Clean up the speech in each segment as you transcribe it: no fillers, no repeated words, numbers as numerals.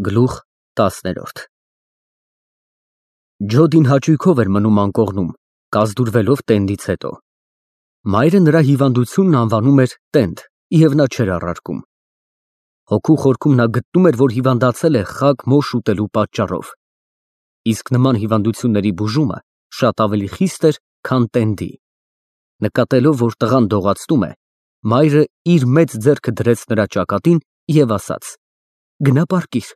Գլուխ 10 Ջոդին հաճույքով էր մնում անկողնում, կազդուրվելով տենդից հետո։ Մայրը նրա հիվանդությունն անվանում էր տենդ, և նա չէր առարկում։ Հոգու խորքում նա գտնում էր, որ հիվանդացել է խաք մոշ ուտելու պատճառով։ Իսկ նման հիվանդությունների բուժումը շատ ավելի խիստ էր, քան տենդի։ Նկատելով, որ տղան դողացնում է, մայրը իր մեծ ձեռքը դրեց նրա ճակատին և ասաց. «Գնա պառկիր,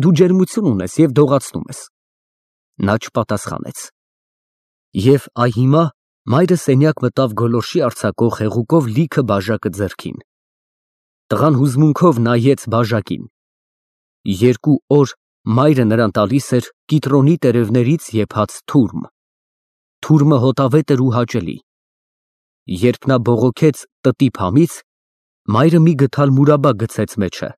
դու ջերմություն ունես և դողացնում ես»։ Նա չպատասխանեց։ Եվ այ հիմա մայրը սենյակ մտավ գոլորշի արձակող հեղուկով լիքը բաժակը ձեռքին։ Տղան հուզմունքով նայեց բաժակին։ 2 օր մայրը նրան տալիս էր կիտրոնի տերևներից եփած թուրմ։ Թուրմը հոտավետ էր ու հաճելի։ Երբ նա բողոքեց տտի փամից, մայրը մի գդալ մուրաբա գցեց մեջը։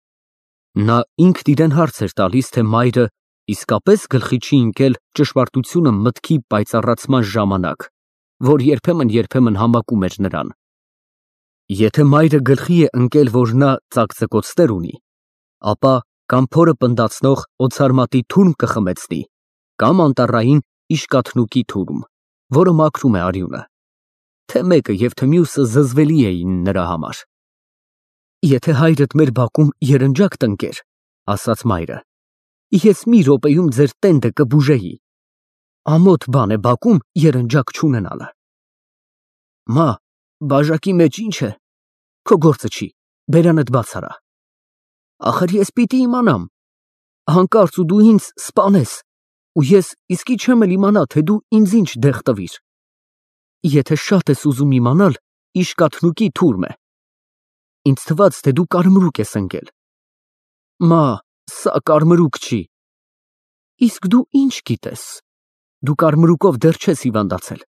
Նա ինքն իրեն հարց էր տալիս, թե մայրը իսկապես գլխի չի ընկել ճշմարտությունը մտքի պայծառացման ժամանակ, որ երբեմն համակում էր նրան։ Եթե մայրը գլխի է ընկել, որ նա ծակծկոցներ ունի, ապա կամ փորը պնդացնող օցարմատի թուրմ կխմեցնի, կամ անտառային իշկաթնուկի թուրմ, որը մաքրում է արյունը, թե մեկը և թե մյուսը զզվելի էին նրա համար։ Եթե հայրդ մեր բակում երնջակ տնկեր, ասաց մայրը, ես մի րոպեում ձեր տենդը կբուժեի։ Ամոթ բան է բակում երնջակ չունենալը։ Մա, բաժակի մեջ ինչ է, քո գործը չի, բերանդ բաց արա։ Ախր ես պիտի իմանամ, հանկարծ ու դու ինձ սպանես, ու ես իսկի չեմ էլ իմանա, թե դու ինձ ինչ դեղ տվիր։ Եթե շատ ես ուզում իմանալ, իշկաթնուկի թուրմ է։ Ինձ թվաց, թե դու կարմրուկ ես ընկել։ Մա, սա կարմրուկ չի։ Իսկ դու ինչ գիտես։ Դու կարմրուկով դեռ չես հիվանդացել։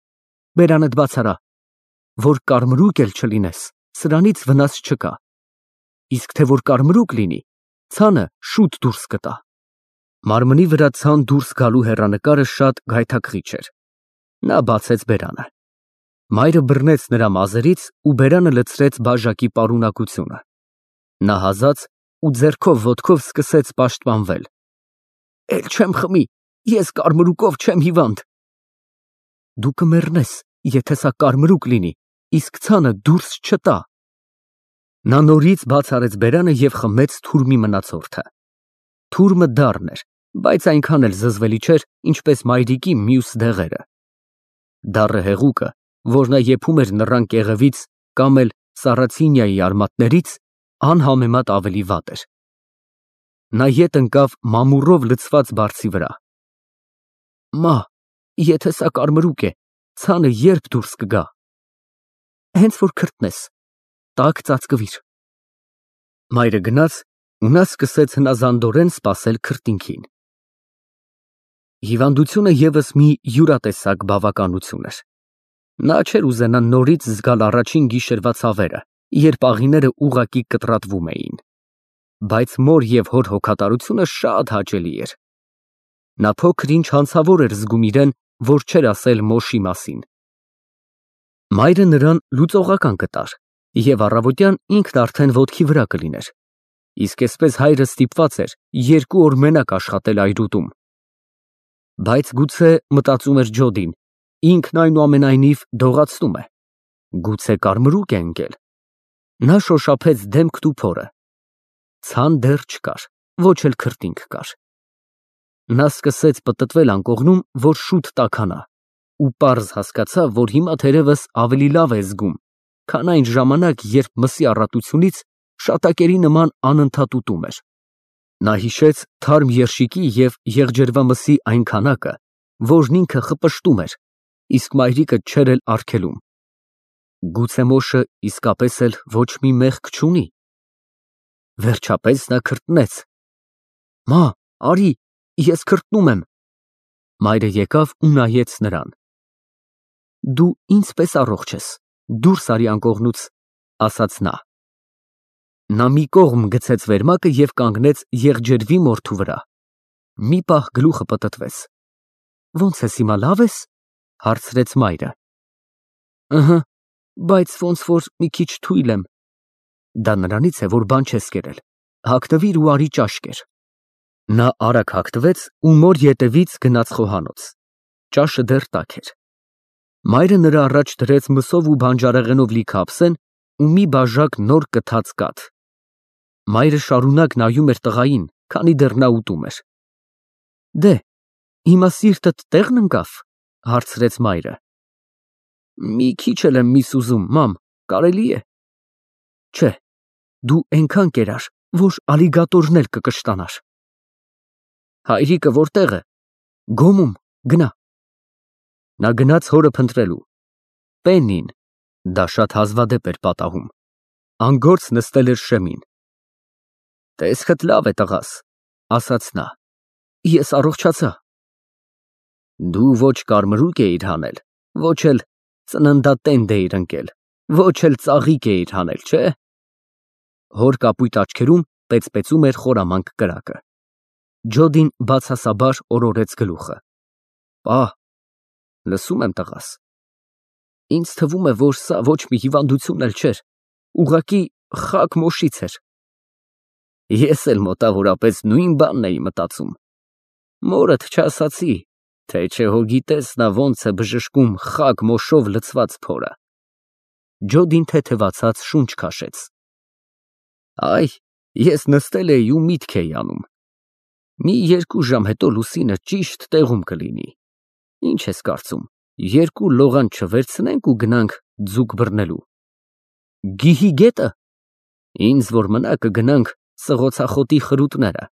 Բերանդ բաց արա, որ կարմրուկ էլ չլինես, սրանից վնաս չկա։ Իսկ թե որ կարմրուկ լինի, ցանը շուտ դուրս կտա։ Մարմնի վրա ցան դուրս գալու հեռանկարը շատ գայթակղիչ էր։ Նա բացեց բերանը։ Մայրը բռնեց նրա մազերից ու բերանը լցրեց բաժակի պարունակությունը։ Նա հազաց ու ձեռքով ոտքով սկսեց պաշտպանվել։ Էլ չեմ խմի, ես կարմրուկով չեմ հիվանդ։ Դու կմեռնես, եթե սա կարմրուկ լինի, իսկ ցանը դուրս չտա։ Նա նորից բաց արեց բերանը և խմեց թուրմի մնացորդը։ Թուրմը դառն էր, բայց այնքան էլ զզվելի չէր, ինչպես մայրիկի մյուս դեղերը։ Դառը հեղուկը, որ նա եփում էր նռան կեղևից կամ էլ սառացինիայի արմատներից, անհամեմատ ավելի վատ էր։ Նա ետ ընկավ մամուռով լցված բարձի վրա։ Մա, եթե սա կարմրուկ է, ցանը երբ դուրս կգա։ Հենց որ քրտնես, տաք ծածկվիր։ Մայրը գնաց ու նա սկսեց հնազանդորեն սպասել քրտինքին։ Հիվանդությունը ևս մի յուրատեսակ բավականություն էր։ Նա չէր ուզենա նորից զգալ առաջին գիշերվա ցավերը, երբ աղիները ուղղակի կտրատվում էին։ Բայց մոր և հոր հոգատարությունը շատ հաճելի էր։ Նա փոքր-ինչ հանցավոր էր զգում իրեն, որ չէր ասել մոշի մասին։ Մայրը նրան լուծողական կտար, և առավոտյան ինքն արդեն ոտքի վրա կլիներ։ Իսկ այսպես հայրը ստիպված էր 2 օր մենակ աշխատել այրուտում։ Բայց գուցե, մտածում էր Ջոդին, ինքն այնուամենայնիվ դողացնում է։ Գուցե կարմրուկ է ընկել։ Նա շոշափեց դեմքն ու փորը։ Ցան դեռ չկար, ոչ էլ քրտինք կար։ Նա սկսեց պտտվել անկողնում, որ շուտ տաքանա, ու պարզ հասկացավ, որ հիմա թերևս ավելի լավ է զգում, քան այն ժամանակ, երբ մսի առատությունից շատակերի նման անընդհատ ուտում էր։ Նա հիշեց թարմ երշիկի և եղջերվամսի այն քանակը, որն ինքը խպշտում էր, իսկ մայրիկը չէր էլ արգելում։ Գուցե մոշը իսկապես էլ ոչ մի մեղք չունի։ Վերջապես նա քրտնեց։ Մա, արի, ես քրտնում եմ։ Մայրը եկավ ու նայեց նրան։ Դու ինձ պես առողջ ես, դուրս արի անկողնուց, ասաց նա։ Նա մի կողմ գցեց վերմակը և կանգնեց եղջերվի մորթու վրա։ Մի պահ գլուխը պտտվեց։ Ոնց ես հիմա, լավ ես, հարցրեց մայրը։ Ըհը, բայց ոնց որ մի քիչ թույլ եմ։ Դա նրանից է, որ բան չես կերել։ Հագնվիր ու արի ճաշ կեր։ Նա արագ հագնվեց ու մոր ետևից գնաց խոհանոց։ Ճաշը դեռ տաք էր։ Մայրը նրա առաջ դրեց մսով ու բանջարեղենով լիքը ափսեն ու մի բաժակ նոր կթած կաթ։ Մայրը շարունակ նայում էր տղային, քանի դեռ նա ուտում էր։ Դե, հիմա սիրտդ տեղն ընկավ, հարցրեց մայրը։ Մի քիչ էլ եմ միս ուզում, մամ, կարելի է։ Չէ, դու այնքան կերար, որ ալիգատորն էլ կկշտանար։ Հայրիկը որտեղ է։ Գոմում, գնա։ Նա գնաց հորը փնտրելու։ Պեննին, դա շատ հազվադեպ էր պատահում, անգործ նստել էր շեմին։ Տեսքդ լավ է, տղաս, ասաց նա։ Ես առողջացա։ Դու ոչ կարմրուկ էիր հանել, ոչ էլ ծննդատենդ էիր ընկել, ոչ էլ ծաղիկ էիր հանել, չէ։ Հոր կապույտ աչքերում պեցպեցում էր խորամանկ կրակը։ Ջոդին բացասաբար օրորեց գլուխը։ Պահ, լսում եմ, տղաս։ Ինձ թվում է, որ սա ոչ մի հիվանդություն էլ չէր, ուղղակի խաք մոշից էր։ Ես էլ մոտավորապես նույն բանն էի մտածում։ Մորդ չասացի, թե չէ հո գիտես նա ոնց է բժշկում խաք մոշով լցված փորը։ Ջոդին թեթևացած շունչ քաշեց։ Այ, ես նստել էի ու միտք էի անում։ Մի 2 ժամ հետո լուսինը ճիշտ տեղում կլինի։ Ինչ ես կարծում, 2 լողան չվերցնենք ու գնանք ձուկ բռնելու։ Գիհի գետը։ Ինձ որ մնա կգնանք սղոցախոտի խրուտները,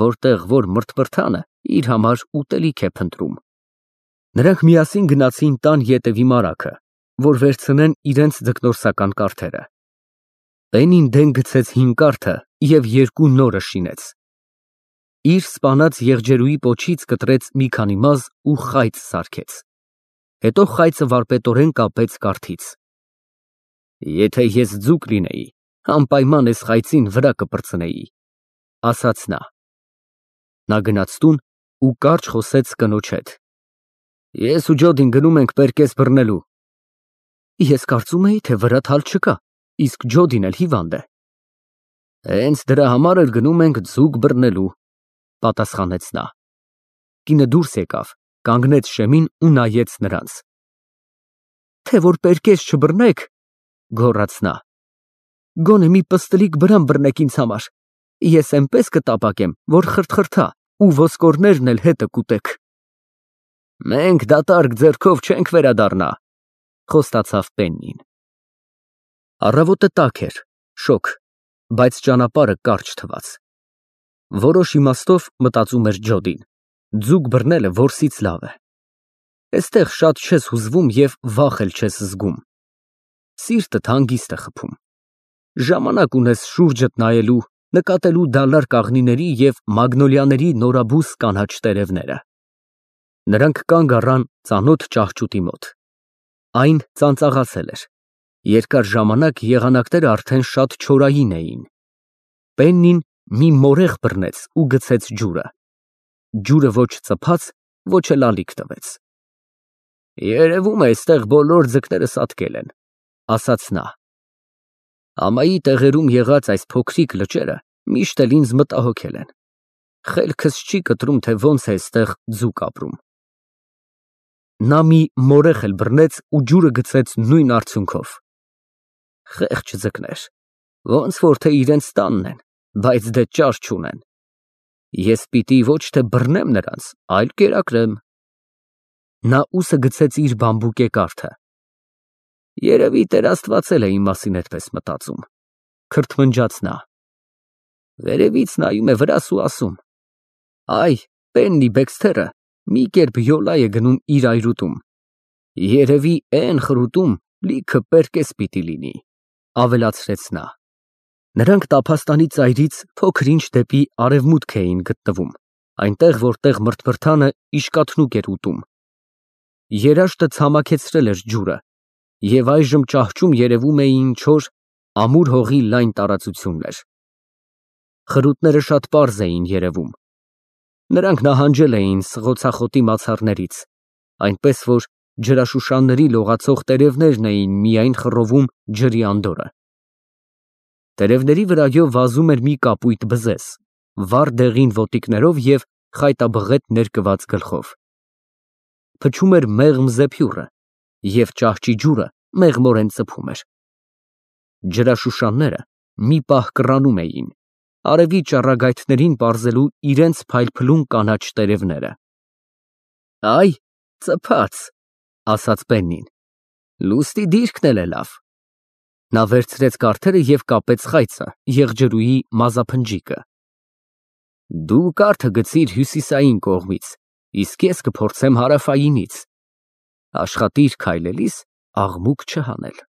որտեղ որ մրթմրթանը իր համար ուտելիք է փնտրում։ Նրանք միասին գնացին տան ետևի մարագը, որ վերցնեն իրենց ձկնորսական կարթերը։ Պենին դեն գցեց հին կարթը և 2 նորը շինեց։ Իր սպանած եղջերուի պոչից կտրեց մի քանի մազ ու խայծ սարքեց։ Հետո խայծը վարպետորեն կապեց կարթից։ Եթե ես ձուկ լինեի, անպայման էս խայծին վրա կպրծնեի, ասաց նա։ Նա գնաց տուն ու կարճ խոսեց կնոջ հետ։ Ես ու Ջոդին գնում ենք պերկես բռնելու։ Ես կարծում էի, թե վրատ հալ չկա, իսկ Ջոդին էլ հիվանդ է։ Հենց դրա համար էլ գնում ենք ձուկ բռնելու, պատասխանեց նա։ Կինը դուրս եկավ, կանգնեց շեմին ու նայեց նրանց։ Թե որ պերկես չբռնեք, գոռաց նա։ Գոնե մի պստլիկ բրամ բռնեք ինձ համար, ես էնպես կտապակեմ, որ խրթխրթա ու ոսկորներն էլ հետը կուտեք։ Մենք դատարկ ձեռքով չենք վերադառնա, խոստացավ Պեննին։ Առավոտը տաք էր, շոգ, բայց ճանապարհը կարճ թվաց։ Որոշ իմաստով մտածում էր Ջոդին, ձուկ բռնելը որսից լավ է։ Այստեղ շատ չես հուզվում և վախ էլ չես զգում։ Սիրտդ հանգիստ է խփում։ Ժամանակ ունես շուրջդ նայելու, նկատելու դալար կաղնիների և մագնոլիաների նորաբույս կանաչ տերևները։ Նրանք կանգ առան ծանոթ ճահճուտի մոտ։ Այն ծանծաղացել էր։ Երկար ժամանակ եղանակները արդեն շատ չորային էին։ Պեննին մի մորեղ բռնեց ու գցեց ջուրը։ Ջուրը ոչ ծփաց, ոչ էլ ալիք տվեց։ Երևում է, այստեղ բոլոր ձկները սատկել են, ասաց նա։ Ամայի տեղերում եղած այս փոքրիկ լճերը միշտ էլ ինձ մտահոգել են։ Խելքս չի կտրում, թե ոնց է այստեղ ձուկ ապրում։ Նա մի մորեղ էլ բռնեց ու ջուրը գցեց նույն արդյունքով։ Խեղճ ձկներ, ոնց որ թե իրենց տանն են, բայց դե ճար չունեն։ Ես պիտի ոչ թե բռնեմ նրանց, այլ կերակրեմ։ Նա ուսը գցեց իր բամբուկե կարթը։ Երևի Տեր Աստված էլ է իմ մասին այդպես մտածում, քրթմնջաց նա։ Վերևից նայում է վրաս ու ասում. Այ, Պեննի Բեքսթերը մի կերպ յոլա է գնում իր այրուտում։ Երևի էն խրուտում լիքը պերկես պիտի լինի, ավելացրեց նա։ Նրանք տափաստանի ծայրից փոքր-ինչ դեպի արևմուտք էին գտնվում, այնտեղ, որտեղ մրթմրթանը իշկաթնուկ էր ուտում։ Երաշտը ցամաքեցրել էր ջուրը, և այժմ ճահճում երևում էին չոր, ամուր հողի լայն տարածություններ։ Խրուտները շատ պարզ էին երևում։ Նրանք նահանջել էին սղոցախոտի մացառներից, այնպես որ ջրաշուշանների լողացող տերևներն էին միայն խռովում ջրի անդորրը։ Տերևների վրայով վազում էր մի կապույտ բզեզ, վառ դեղին ոտիկներով և խայտաբղետ ներկված գլխով։ Փչում էր մեղմ զեփյուռը, և ճահճի ջուրը մեղմորեն ծփում էր։ Ջրաշուշանները մի պահ կռանում էին, արևի ճառագայթներին պարզելու իրենց փայլփլուն կանաչ տերևները։ «Այ, ծփած», ասաց Պեննին, «լուստի դիրքն էլ է լավ»։ Նա վերցրեց կարդերը և կապեց խայծը, եղջերուի մազափնջիկը։ «Դու կարդը գցիր հյուսիսային կողմից, իսկ ես կփորձեմ հարավայինից։ Աշխատիր քայլելիս աղմուկ չհանել»։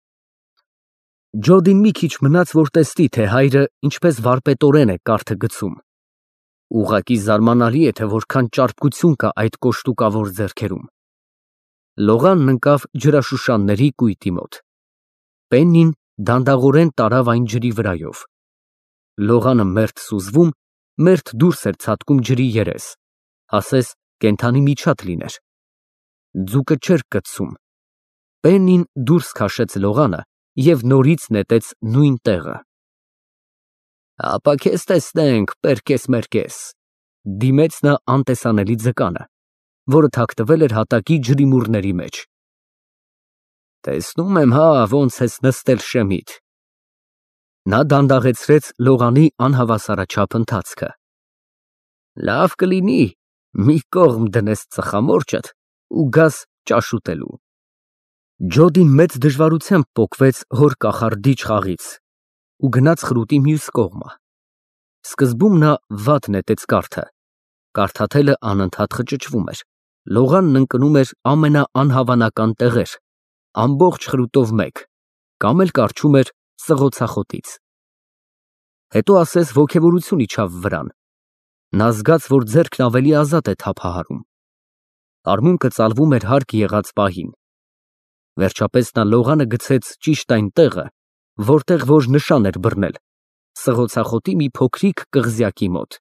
Ջոդին մի քիչ մնաց, որ տեսնի, թե հայրը ինչպես վարպետորեն է կարդը գցում։ Ուղղակի զարմանալի է, թե որքան ճարպկություն կա այդ կոշտուկավոր ձեռքերում։ Լողանն ընկավ ջրաշուշանների կույտի մոտ։ Պեննին դանդաղորեն տարավ այն ջրի վրայով։ Լողանը մերթ սուզվում, մերթ դուրս էր ցատկում ջրի երես, ասես կենդանի միջատ լիներ։ Ձուկը չէր կծում։ Պեննին դուրս քաշեց լողանը և նորից նետեց նույն տեղը։ «Ապա քեզ տեսնենք, պերկես-մերկես», դիմեց նա անտեսանելի ձկանը, որը թաքնվել էր հատակի ջրիմուռների մեջ։ «Տեսնում եմ, հա, ոնց ես նստել շեմիդ»։ Նա դանդաղեցրեց լողանի անհավասարաչափ ընթացքը։ «Լավ կլինի մի կողմ դնես ծխամորճդ ու գաս ճաշ ուտելու»։ Ջոդին մեծ դժվարությամբ պոկվեց հոր կախարդիչ խաղից ու գնաց խրուտի մյուս կողմը։ Սկզբում նա վատ նետեց կարդը, կարդաթելը անընդհատ խճճվում էր, լողանն ընկնում էր ամենաանհավանական տեղեր, ամբողջ խրուտով մեկ, կամ էլ կառչում էր սղոցախոտից։ Հետո ասես ոգևորություն իջավ վրան։ Նա զգաց, որ ձեռքն ավելի ազատ է թափահարում։ Արմունկը ծալվում էր հարկ եղած պահին։ Վերջապես նա լողանը գցեց ճիշտ այն տեղը, որտեղ որ նշան էր բռնել, սղոցախոտի մի փոքրիկ կղզյակի մոտ։